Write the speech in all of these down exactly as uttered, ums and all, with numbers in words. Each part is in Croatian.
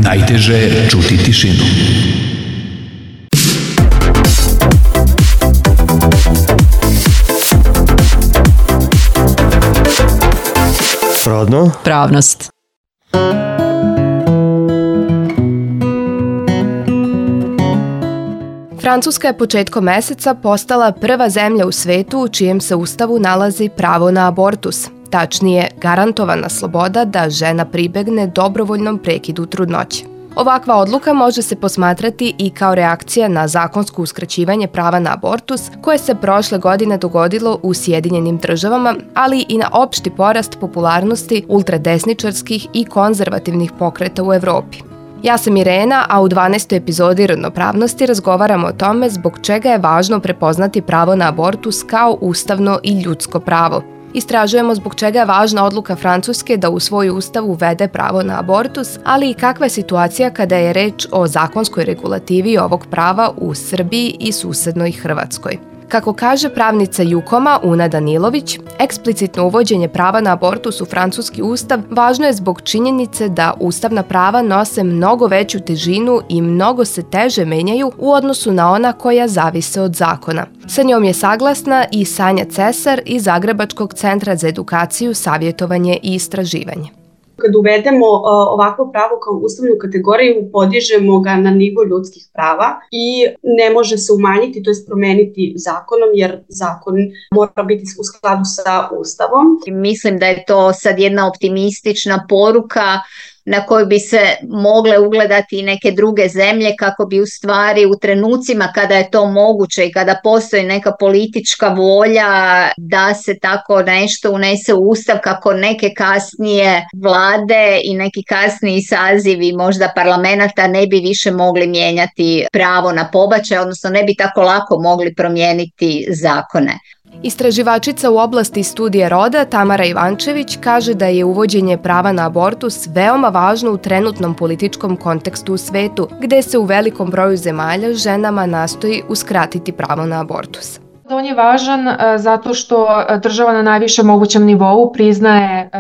Najteže je čuti tišinu. Rodno? Pravnost. Francuska je početkom meseca postala prva zemlja u svetu u čijem se ustavu nalazi pravo na abortus. Tačnije, garantovana sloboda da žena pribegne dobrovoljnom prekidu trudnoće. Ovakva odluka može se posmatrati i kao reakcija na zakonsko uskraćivanje prava na abortus koje se prošle godine dogodilo u Sjedinjenim državama, ali i na opšti porast popularnosti ultradesničarskih i konzervativnih pokreta u Evropi. Ja sam Irena, a u dvanaestoj epizodi Rodnopravnosti razgovaramo o tome zbog čega je važno prepoznati pravo na abortus kao ustavno i ljudsko pravo. Istražujemo zbog čega je važna odluka Francuske da u svoj ustav uvede pravo na abortus, ali i kakva je situacija kada je reč o zakonskoj regulativi ovog prava u Srbiji i susednoj Hrvatskoj. Kako kaže pravnica Jukoma Una Danilović, eksplicitno uvođenje prava na abortus u francuski ustav važno je zbog činjenice da ustavna prava nose mnogo veću težinu i mnogo se teže menjaju u odnosu na ona koja zavise od zakona. Sa njom je saglasna i Sanja Cesar iz Zagrebačkog centra za edukaciju, savjetovanje i istraživanje. Kad uvedemo uh, ovakvo pravo kao ustavnu kategoriju, podižemo ga na nivo ljudskih prava i ne može se umanjiti, to jest promeniti zakonom, jer zakon mora biti u skladu sa ustavom. Mislim da je to sad jedna optimistična poruka na koju bi se mogle ugledati i neke druge zemlje kako bi u stvari u trenucima kada je to moguće i kada postoji neka politička volja da se tako nešto unese u ustav, kako neke kasnije vlade i neki kasniji sazivi možda parlamenta ne bi više mogli mijenjati pravo na pobačaj, odnosno ne bi tako lako mogli promijeniti zakone. Istraživačica u oblasti studija roda Tamara Ivančević kaže da je uvođenje prava na abortus veoma važno u trenutnom političkom kontekstu u svetu, gde se u velikom broju zemalja ženama nastoji uskratiti pravo na abortus. On je važan zato što država na najvišem mogućem nivou priznaje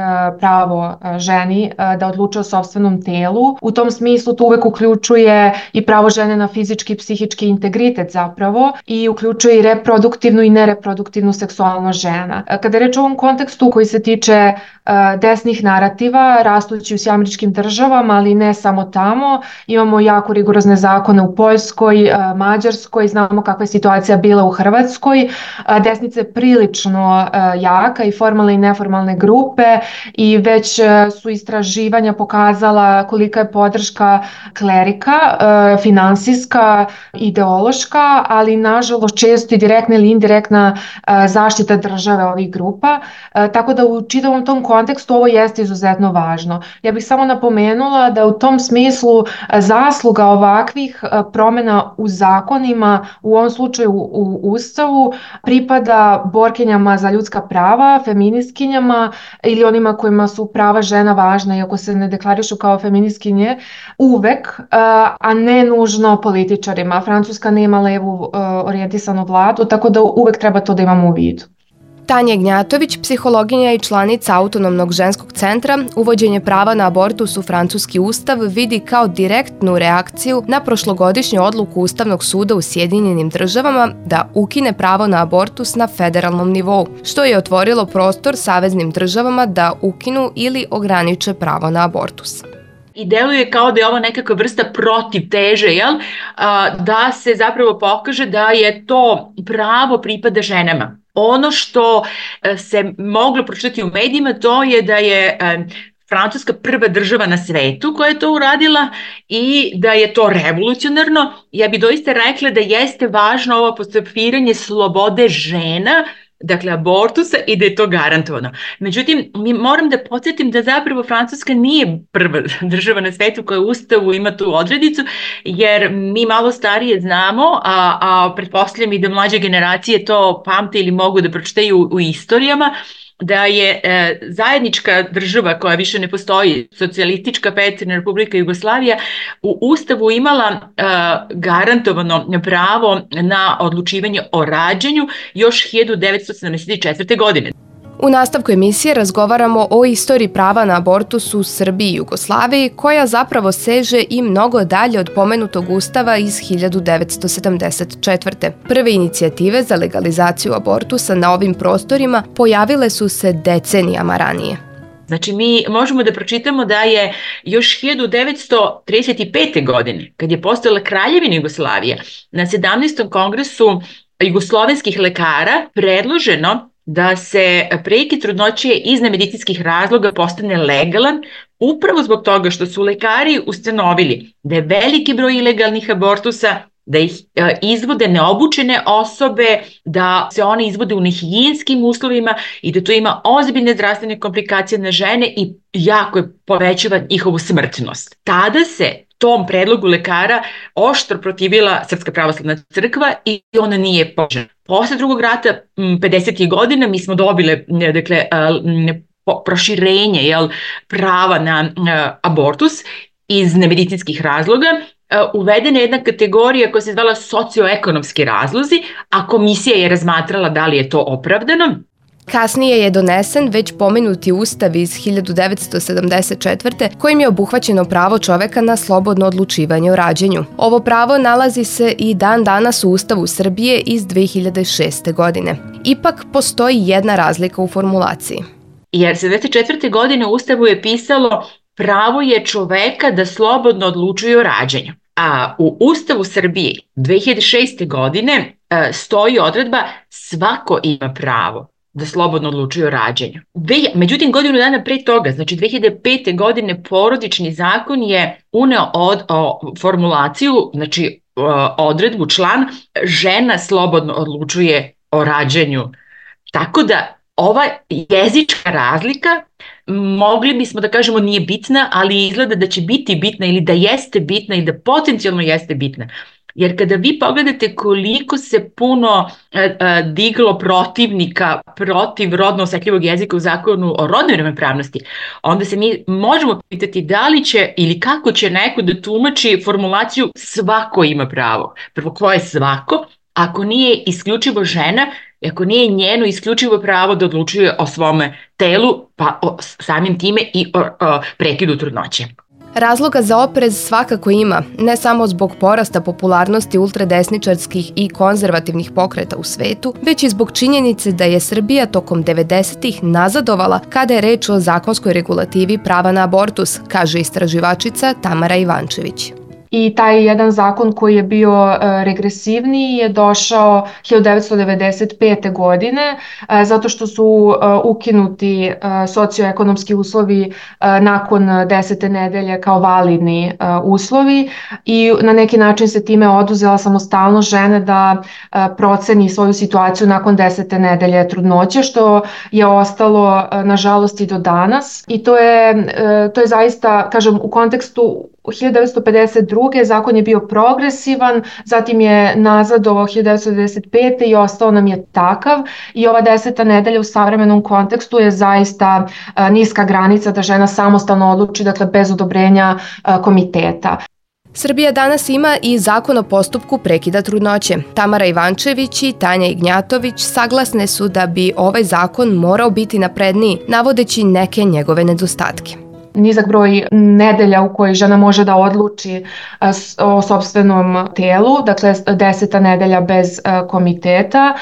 pravo ženi da odlučuje o sopstvenom telu. U tom smislu to uvek uključuje i pravo žene na fizički i psihički integritet zapravo i uključuje i reproduktivnu i nereproduktivnu seksualnost žena. Kada je reč o ovom kontekstu koji se tiče desnih narativa, rastući u američkim državama, ali ne samo tamo, imamo jako rigorozne zakone u Poljskoj, Mađarskoj, znamo kakva je situacija bila u Hrvatskoj. Desnica je prilično jaka i formalne i neformalne grupe i već su istraživanja pokazala kolika je podrška klerika, finansijska, ideološka, ali nažalost često i direktna ili indirektna zaštita države ovih grupa. Tako da u čitavom tom kontekstu ovo jeste izuzetno važno. Ja bih samo napomenula da u tom smislu zasluga ovakvih promjena u zakonima, u ovom slučaju u Ustavu, pripada borkinjama za ljudska prava, feministkinjama ili onima kojima su prava žena važna, iako se ne deklarišu kao feministkinje, uvek, a ne nužno političarima. Francuska nema levu orijentisanu vladu, tako da uvek treba to da imamo u vidu. Tanja Gnjatović, psihologinja i članica Autonomnog ženskog centra, uvođenje prava na abortus u francuski ustav vidi kao direktnu reakciju na prošlogodišnju odluku Ustavnog suda u Sjedinjenim državama da ukine pravo na abortus na federalnom nivou, što je otvorilo prostor saveznim državama da ukinu ili ograniče pravo na abortus. I deluje kao da je ovo nekakva vrsta protivteže, jel? Da se zapravo pokaže da je to pravo pripada ženama. Ono što se moglo pročitati u medijima, to je da je Francuska prva država na svetu koja je to uradila i da je to revolucionarno. Ja bih doista rekla da jeste važno ovo apostrofiranje slobode žena, dakle abortusa, i da je to garantovano. Međutim, mi moram da podsjetim da zapravo Francuska nije prva država na svetu koja u Ustavu ima tu odredicu, jer mi malo starije znamo, a, a pretpostavljam i da mlađe generacije to pamte ili mogu da pročitaju u, u istorijama, da je e, zajednička država koja više ne postoji, socijalistička Federativna Republika Jugoslavija, u Ustavu imala e, garantovano pravo na odlučivanje o rađanju još hiljadu devetsto sedamdeset četvrte. godine. U nastavku emisije razgovaramo o istoriji prava na abortus u Srbiji i Jugoslaviji, koja zapravo seže i mnogo dalje od pomenutog ustava iz hiljadu devetsto sedamdeset četvrte. Prve inicijative za legalizaciju abortusa na ovim prostorima pojavile su se decenijama ranije. Znači, mi možemo da pročitamo da je još hiljadu devetsto trideset pete. godine, kad je postojala Kraljevina Jugoslavija, na sedamnaestom kongresu jugoslovenskih lekara predloženo da se prekid trudnoće iz nemedicinskih razloga postane legalan, upravo zbog toga što su lekari ustanovili da je veliki broj ilegalnih abortusa, da ih izvode neobučene osobe, da se one izvode u nehigijenskim uslovima i da to ima ozbiljne zdravstvene komplikacije na žene i jako je povećava njihovu smrtnost. Tada se tom predlogu lekara oštro protivila Srpska pravoslavna crkva i ona nije poželjna. Posle drugog rata, pedesetih godina, mi smo dobile dakle, proširenje jel, prava na abortus iz nemedicinskih razloga. Uvedena je jedna kategorija koja se zvala socioekonomski razlozi, a komisija je razmatrala da li je to opravdano. Kasnije je donesen već pomenuti ustav iz hiljadu devetsto sedamdeset četvrte. kojim je obuhvaćeno pravo čoveka na slobodno odlučivanje o rađanju. Ovo pravo nalazi se i dan danas u Ustavu Srbije iz dve hiljade šeste. godine. Ipak postoji jedna razlika u formulaciji. Jer sedamdeset četvrte. godine u Ustavu je pisalo pravo je čoveka da slobodno odlučuje o rađanju. A u Ustavu Srbije dve hiljade šeste. godine stoji odredba svako ima pravo da slobodno odlučuje o rađanju. Međutim, godinu dana pre toga, znači dve hiljade pete. godine, Porodični zakon je uneo od, o, formulaciju, znači odredbu, član, žena slobodno odlučuje o rađanju. Tako da ova jezička razlika, mogli bismo da kažemo nije bitna, ali izgleda da će biti bitna ili da jeste bitna ili da potencijalno jeste bitna. Jer kada vi pogledate koliko se puno e, e, diglo protivnika protiv rodno osetljivog jezika u zakonu o rodnoj ravnopravnosti, onda se mi možemo pitati da li će ili kako će neko da tumači formulaciju svako ima pravo. Prvo, ko je svako? Ako nije isključivo žena, ako nije njeno isključivo pravo da odlučuje o svome telu, pa o, samim time i o, o prekidu trudnoće. Razloga za oprez svakako ima, ne samo zbog porasta popularnosti ultradesničarskih i konzervativnih pokreta u svetu, već i zbog činjenice da je Srbija tokom devedesetih nazadovala kada je reč o zakonskoj regulativi prava na abortus, kaže istraživačica Tamara Ivančević. I taj jedan zakon koji je bio regresivniji je došao hiljadu devetsto devedeset pete. godine zato što su ukinuti socioekonomski uslovi nakon desete nedelje kao validni uslovi i na neki način se time oduzela samostalnost žene da proceni svoju situaciju nakon desete nedelje trudnoće, što je ostalo nažalost i do danas. I to je, to je zaista, kažem, u kontekstu hiljadu devetsto pedeset druge. zakon je bio progresivan, zatim je nazad do hiljadu devetsto devedeset pete. i ostao nam je takav i ova deseta nedelja u savremenom kontekstu je zaista niska granica da žena samostalno odluči, dakle bez odobrenja komiteta. Srbija danas ima i zakon o postupku prekida trudnoće. Tamara Ivančević i Tanja Ignjatović saglasne su da bi ovaj zakon morao biti napredniji, navodeći neke njegove nedostatke. Nizak broj nedelja u kojoj žena može da odluči o sopstvenom telu, dakle deseta nedelja bez komiteta,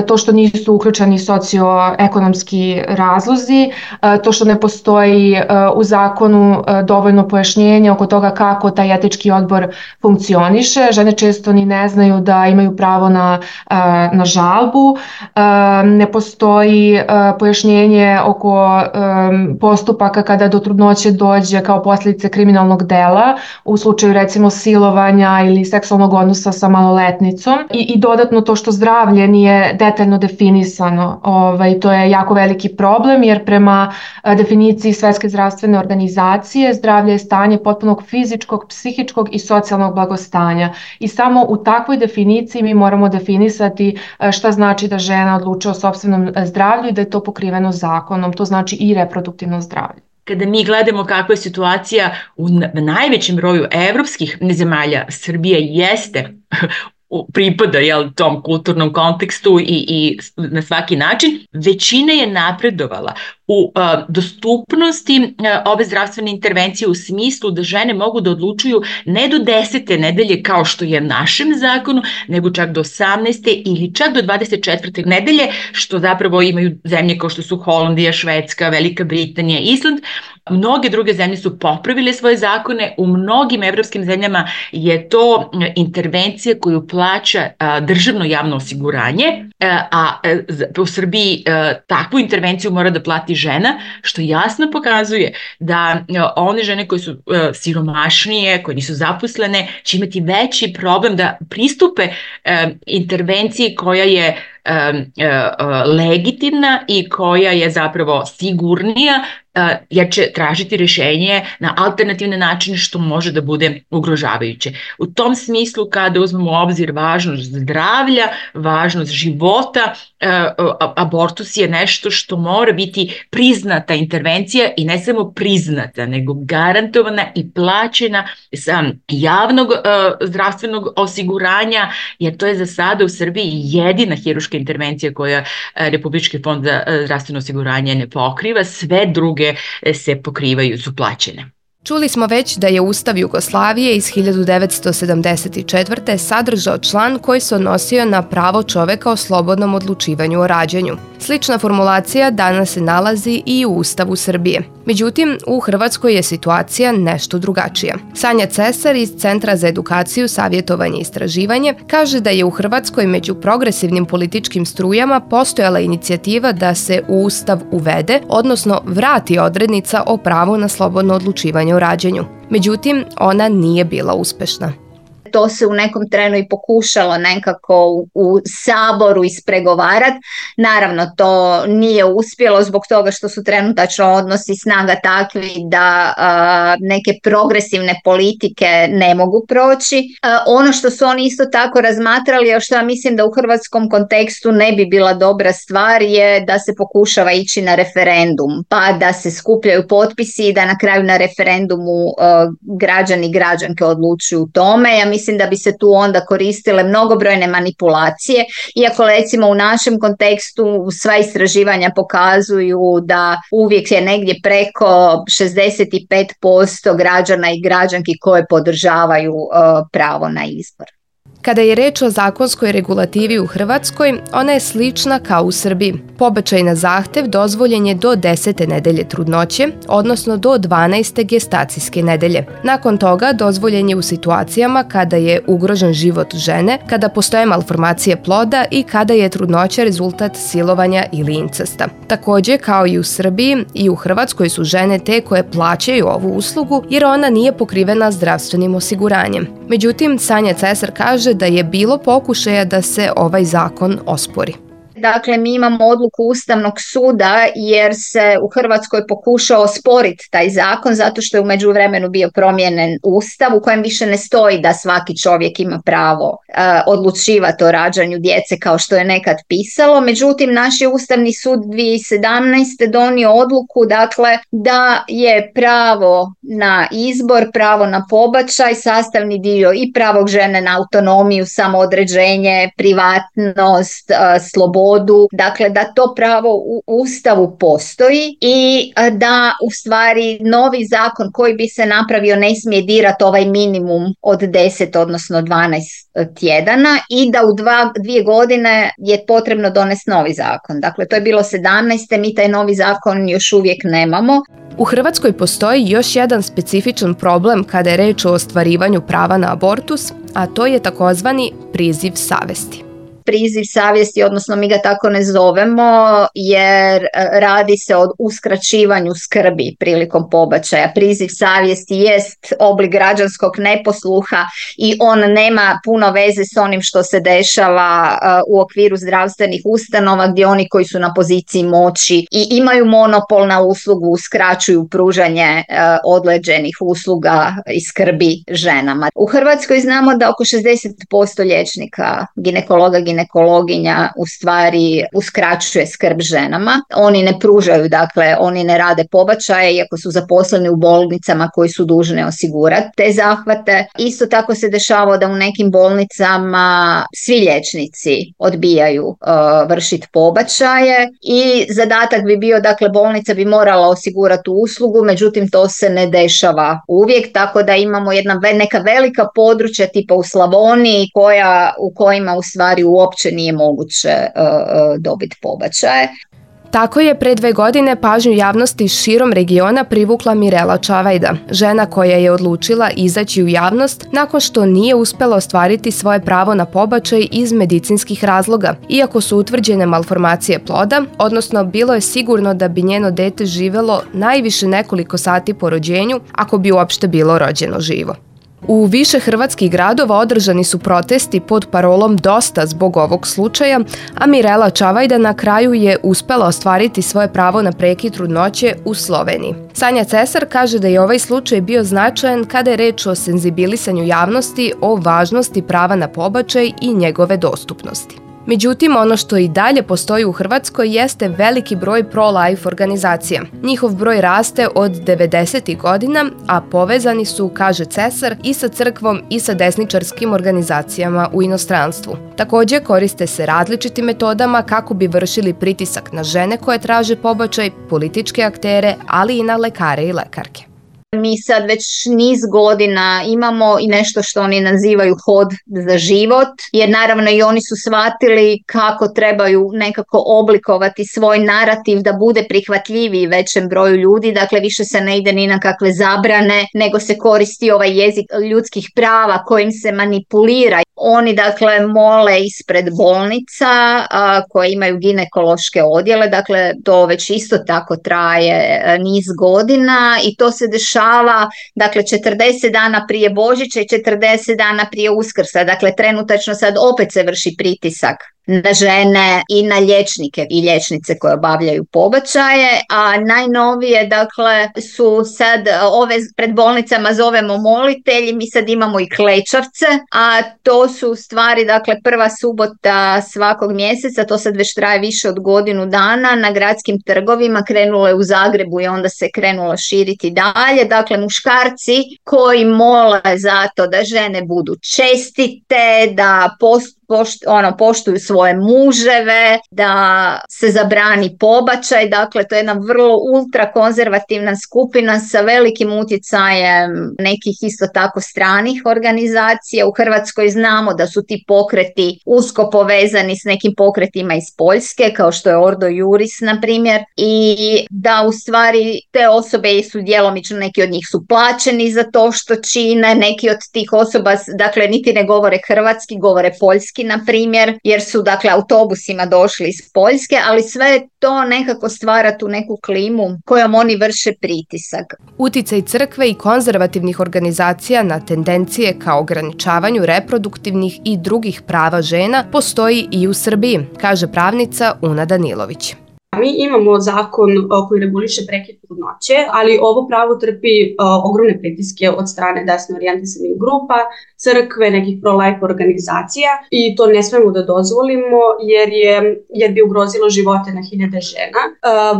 to što nisu uključeni socioekonomski razlozi, to što ne postoji u zakonu dovoljno pojašnjenja oko toga kako taj etički odbor funkcioniše. Žene često ni ne znaju da imaju pravo na, na žalbu, ne postoji pojašnjenje oko postupaka kada do trudnoće dođe kao posljedice kriminalnog dela u slučaju recimo silovanja ili seksualnog odnosa sa maloletnicom i, i dodatno to što zdravlje nije detaljno definisano. Ovaj, to je jako veliki problem jer prema definiciji Svetske zdravstvene organizacije zdravlje je stanje potpunog fizičkog, psihičkog i socijalnog blagostanja i samo u takvoj definiciji mi moramo definisati šta znači da žena odlučuje o sopstvenom zdravlju i da je to pokriveno zakonom, to znači i reproduktivno zdravlje. Kada mi gledamo kakva je situacija u najvećem broju evropskih zemalja, Srbija jeste pripada jel, tom kulturnom kontekstu i, i na svaki način, većina je napredovala u a, dostupnosti a, ove zdravstvene intervencije u smislu da žene mogu da odlučuju ne do desete nedelje kao što je našem zakonu, nego čak do osamnaeste ili čak do dvadeset četvrte nedelje, što zapravo imaju zemlje kao što su Holandija, Švedska, Velika Britanija, Island. Mnoge druge zemlje su popravile svoje zakone, u mnogim evropskim zemljama je to intervencija koju plaća a, državno javno osiguranje, a, a u Srbiji a, takvu intervenciju mora da plati žena, što jasno pokazuje da a, one žene koje su a, siromašnije, koje nisu zaposlene, će imati veći problem da pristupe a, intervenciji koja je legitimna i koja je zapravo sigurnija, jer će tražiti rješenje na alternativne načine što može da bude ugrožavajuće. U tom smislu, kada uzmemo u obzir važnost zdravlja, važnost života, abortus je nešto što mora biti priznata intervencija i ne samo priznata, nego garantovana i plaćena sa javnog zdravstvenog osiguranja, jer to je za sada u Srbiji jedina hirurška intervencija koja Republički fond za zdravstveno osiguranje ne pokriva, sve druge se pokrivaju, su plaćene. Čuli smo već da je Ustav Jugoslavije iz hiljadu devetsto sedamdeset četvrte sadržao član koji se odnosio na pravo čoveka o slobodnom odlučivanju o rađanju. Slična formulacija danas se nalazi i u Ustavu Srbije. Međutim, u Hrvatskoj je situacija nešto drugačija. Sanja Cesar iz Centra za edukaciju, savjetovanje i istraživanje kaže da je u Hrvatskoj među progresivnim političkim strujama postojala inicijativa da se u Ustav uvede, odnosno vrati odrednica o pravu na slobodno odlučivanje o rađanju. Međutim, ona nije bila uspešna. To se u nekom trenu i pokušalo nekako u, u Saboru ispregovarati. Naravno, to nije uspjelo zbog toga što su trenutačno odnosi snaga takvi da a, neke progresivne politike ne mogu proći. A, ono što su oni isto tako razmatrali, a što ja mislim da u hrvatskom kontekstu ne bi bila dobra stvar, je da se pokušava ići na referendum, pa da se skupljaju potpisi i da na kraju na referendumu a, građani i građanke odlučuju u tome. Ja mislim Mislim da bi se tu onda koristile mnogobrojne manipulacije, iako recimo u našem kontekstu sva istraživanja pokazuju da uvijek je negdje preko šezdeset pet posto građana i građanki koje podržavaju uh, pravo na izbor. Kada je reč o zakonskoj regulativi u Hrvatskoj, ona je slična kao u Srbiji. Pobačaj na zahtev dozvoljen je do desete nedelje trudnoće, odnosno do dvanaeste gestacijske nedelje. Nakon toga dozvoljen je u situacijama kada je ugrožen život žene, kada postoje malformacije ploda i kada je trudnoća rezultat silovanja ili incesta. Također, kao i u Srbiji, i u Hrvatskoj su žene te koje plaćaju ovu uslugu jer ona nije pokrivena zdravstvenim osiguranjem. Međutim, Sanja Cesar kaže da je bilo pokušaja da se ovaj zakon ospori. Dakle, mi imamo odluku Ustavnog suda jer se u Hrvatskoj pokušao osporiti taj zakon zato što je u međuvremenu bio promijenjen Ustav u kojem više ne stoji da svaki čovjek ima pravo uh, odlučivati o rađanju djece kao što je nekad pisalo. Međutim, naš je Ustavni sud dvije tisuće sedamnaeste donio odluku dakle, da je pravo na izbor, pravo na pobačaj sastavni dio i pravog žene na autonomiju, samoodređenje, privatnost, uh, slobodu. Dakle, da to pravo u Ustavu postoji i da u stvari novi zakon koji bi se napravio ne smije dirati ovaj minimum od deset odnosno dvanaest tjedana i da u dva, dvije godine je potrebno donesti novi zakon. Dakle, to je bilo sedamnaeste, mi taj novi zakon još uvijek nemamo. U Hrvatskoj postoji još jedan specifičan problem kada je reč o ostvarivanju prava na abortus, a to je takozvani priziv savesti. Priziv savjesti, odnosno mi ga tako ne zovemo jer radi se o uskraćivanju skrbi prilikom pobačaja. Priziv savjesti jest oblik građanskog neposluha i on nema puno veze s onim što se dešava u okviru zdravstvenih ustanova gdje oni koji su na poziciji moći i imaju monopol na uslugu uskraćuju pružanje određenih usluga i skrbi ženama. U Hrvatskoj znamo da oko šezdeset posto liječnika, ginekologa, ginekologa ginekologinja u stvari uskraćuje skrb ženama. Oni ne pružaju, dakle, oni ne rade pobačaje iako su zaposleni u bolnicama koji su dužni osigurati te zahvate. Isto tako se dešava da u nekim bolnicama svi liječnici odbijaju uh, vršiti pobačaje i zadatak bi bio, dakle, bolnica bi morala osigurati uslugu, međutim to se ne dešava uvijek, tako da imamo jedna neka velika područja tipa u Slavoniji koja, u kojima u stvari uopće nije moguće uh, uh, dobiti pobačaje. Tako je pre dve godine pažnju javnosti širom regiona privukla Mirela Čavajda, žena koja je odlučila izaći u javnost nakon što nije uspela ostvariti svoje pravo na pobačaj iz medicinskih razloga, iako su utvrđene malformacije ploda, odnosno bilo je sigurno da bi njeno dete živelo najviše nekoliko sati po rođenju, ako bi uopšte bilo rođeno živo. U više hrvatskih gradova održani su protesti pod parolom Dosta zbog ovog slučaja, a Mirela Čavajda na kraju je uspela ostvariti svoje pravo na prekid trudnoće u Sloveniji. Sanja Cesar kaže da je ovaj slučaj bio značajan kada je reč o senzibilisanju javnosti o važnosti prava na pobačaj i njegove dostupnosti. Međutim, ono što i dalje postoji u Hrvatskoj jeste veliki broj pro-life organizacija. Njihov broj raste od devedesetih godina, a povezani su, kaže Cesar, i sa crkvom i sa desničarskim organizacijama u inostranstvu. Također koriste se različitim metodama kako bi vršili pritisak na žene koje traže pobačaj, političke aktere, ali i na lekare i lekarke. Mi sad već niz godina imamo i nešto što oni nazivaju hod za život, jer naravno i oni su shvatili kako trebaju nekako oblikovati svoj narativ da bude prihvatljiviji većem broju ljudi, dakle više se ne ide ni na kakve zabrane, nego se koristi ovaj jezik ljudskih prava kojim se manipulira. Oni dakle mole ispred bolnica a, koje imaju ginekološke odjele, dakle to već isto tako traje a, niz godina i to se dešava dakle četrdeset dana prije Božića i četrdeset dana prije Uskrsa, dakle trenutačno sad opet se vrši pritisak na žene i na liječnike i liječnice koje obavljaju pobačaje, a najnovije dakle su sad ove pred bolnicama zovemo molitelji, mi sad imamo i klečavce, a to su u stvari dakle prva subota svakog mjeseca, to sad već traje više od godinu dana, na gradskim trgovima, krenulo je u Zagrebu i onda se krenulo širiti dalje, dakle muškarci koji mole za to da žene budu čestite, da post Pošt, ono, poštuju svoje muževe, da se zabrani pobačaj, dakle to je jedna vrlo ultrakonzervativna skupina sa velikim utjecajem nekih isto tako stranih organizacija. U Hrvatskoj znamo da su ti pokreti usko povezani s nekim pokretima iz Poljske, kao što je Ordo Juris na primjer, i da u stvari te osobe su djelomično, neki od njih su plaćeni za to što čine, neki od tih osoba dakle niti ne govore hrvatski, govore poljski na primjer, jer su dakle autobusima došli iz Poljske, ali sve to nekako stvara tu neku klimu kojom oni vrše pritisak. Uticaj crkve i konzervativnih organizacija na tendencije kao ograničavanju reproduktivnih i drugih prava žena postoji i u Srbiji, kaže pravnica Una Danilović. Mi imamo zakon koji reguliše prekid trudnoće, ali ovo pravo trpi uh, ogromne pritiske od strane desno orijentisanih grupa, crkve, nekih pro-life organizacija i to ne smemo da dozvolimo jer, je, jer bi ugrozilo živote na hiljade žena. Uh,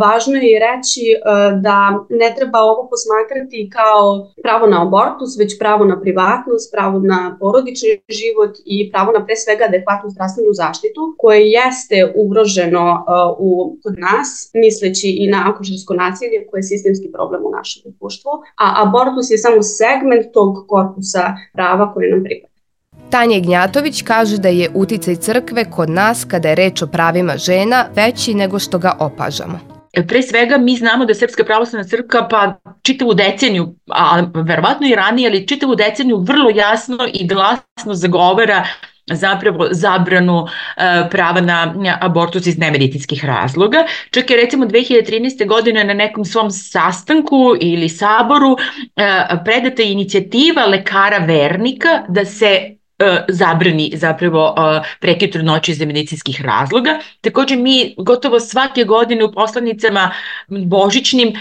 važno je reći uh, da ne treba ovo posmatrati kao pravo na abortus, već pravo na privatnost, pravo na porodični život i pravo na pre svega adekvatnu zdravstvenu zaštitu koje jeste ugroženo uh, u kod nas, misleći i na akušersko nasilje koje je sistemski problem u našem društvu, a abortus je samo segment tog korpusa prava koje nam pripada. Tanja Gnjatović kaže da je uticaj crkve kod nas kada je reč o pravima žena veći nego što ga opažamo. Pre svega mi znamo da je Srpska pravoslavna crkva pa čitavu deceniju, a verovatno i ranije, ali čitavu deceniju vrlo jasno i glasno zagovara zapravo zabranu uh, prava na, na abortus iz nemedicinskih razloga. Čak je recimo dve hiljade trinaeste. godine na nekom svom sastanku ili saboru uh, predata inicijativa lekara vernika da se uh, zabrani zapravo uh, prekid trudnoće iz medicinskih razloga. Također mi gotovo svake godine u poslanicama božićnim uh,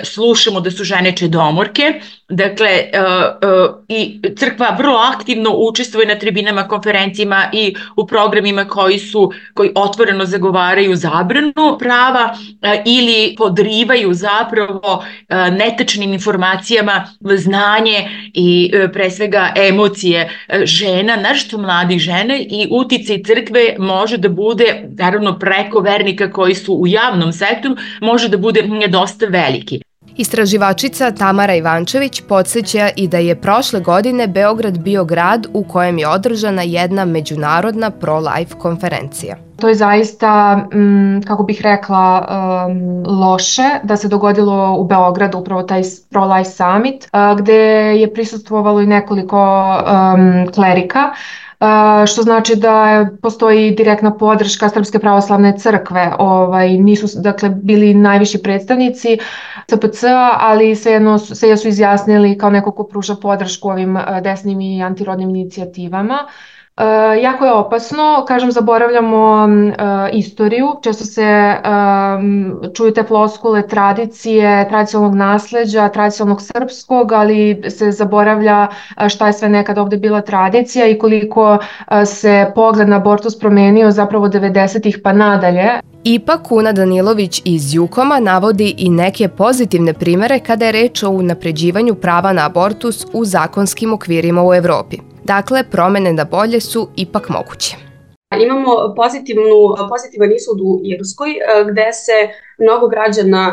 slušamo da su žene čedomorke Dakle, uh, uh, i crkva vrlo aktivno učestvuje na tribinama, konferencijama i u programima koji su, koji otvoreno zagovaraju zabranu prava uh, ili podrivaju zapravo uh, netačnim informacijama znanje i uh, pre svega emocije uh, žena, naročito mladih žena, i uticaj crkve može da bude, naravno preko vernika koji su u javnom sektoru, može da bude dosta veliki. Istraživačica Tamara Ivančević podsjeća i da je prošle godine Beograd bio grad u kojem je održana jedna međunarodna pro-life konferencija. To je zaista, kako bih rekla, loše da se dogodilo u Beogradu upravo taj pro-life summit, gde je prisustvovalo i nekoliko klerika, što znači da postoji direktna podrška Srpske pravoslavne crkve. Ovaj, nisu dakle, bili najviši predstavnici C P C-a, ali svejedno se su izjasnili kao neko ko pruža podršku ovim desnim i antirodnim inicijativama. Uh, jako je opasno, kažem, zaboravljamo uh, istoriju, često se um, čuju te floskule tradicije, tradicionalnog nasleđa, tradicionalnog srpskog, ali se zaboravlja šta je sve nekad ovde bila tradicija i koliko uh, se pogled na abortus promenio zapravo devedesetih pa nadalje. Ipak Una Danilović iz Jukoma navodi i neke pozitivne primere kada je reč o unapređivanju prava na abortus u zakonskim okvirima u Evropi. Dakle, promene na bolje su ipak moguće. Imamo pozitivnu, pozitivan ishod u Irskoj, gde se mnogo građana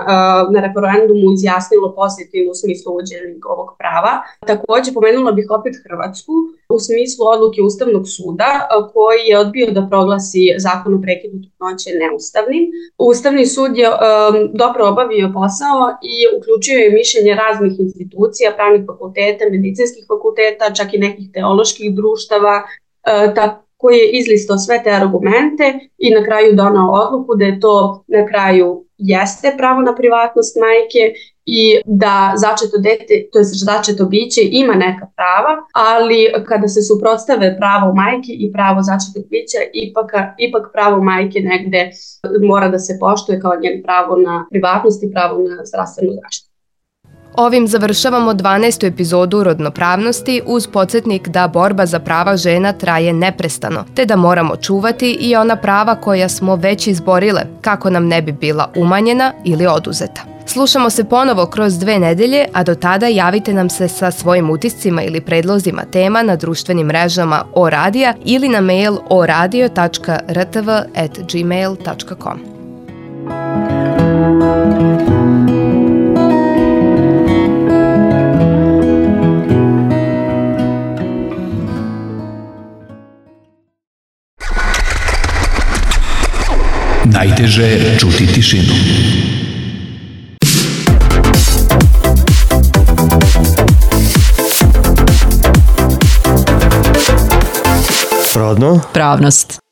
na referendumu izjasnilo pozitivno u smislu uvođenja ovog prava. Takođe, pomenula bih opet Hrvatsku u smislu odluke Ustavnog suda koji je odbio da proglasi zakon o prekidu trudnoće neustavnim. Ustavni sud je um, dobro obavio posao i uključio je mišljenje raznih institucija, pravnih fakulteta, medicinskih fakulteta, čak i nekih teoloških društava, uh, tako koji je izlistao sve te argumente i na kraju donao odluku da je to na kraju jeste pravo na privatnost majke i da začeto dete, to je začeto biće, ima neka prava, ali kada se suprotstave pravo majke i pravo začetog bića, ipak, ipak pravo majke negde mora da se poštuje kao njen pravo na privatnost i pravo na zdravstvenu zaštitu. Ovim završavamo dvanaestu epizodu Rodnopravnosti uz podsjetnik da borba za prava žena traje neprestano, te da moramo čuvati i ona prava koja smo već izborile, kako nam ne bi bila umanjena ili oduzeta. Slušamo se ponovo kroz dve nedelje, a do tada javite nam se sa svojim utiscima ili predlozima tema na društvenim mrežama O Radija ili na mail oradio tačka r t v at gmail tačka com. Najteže je čuti tišinu. Rodno. Pravnost.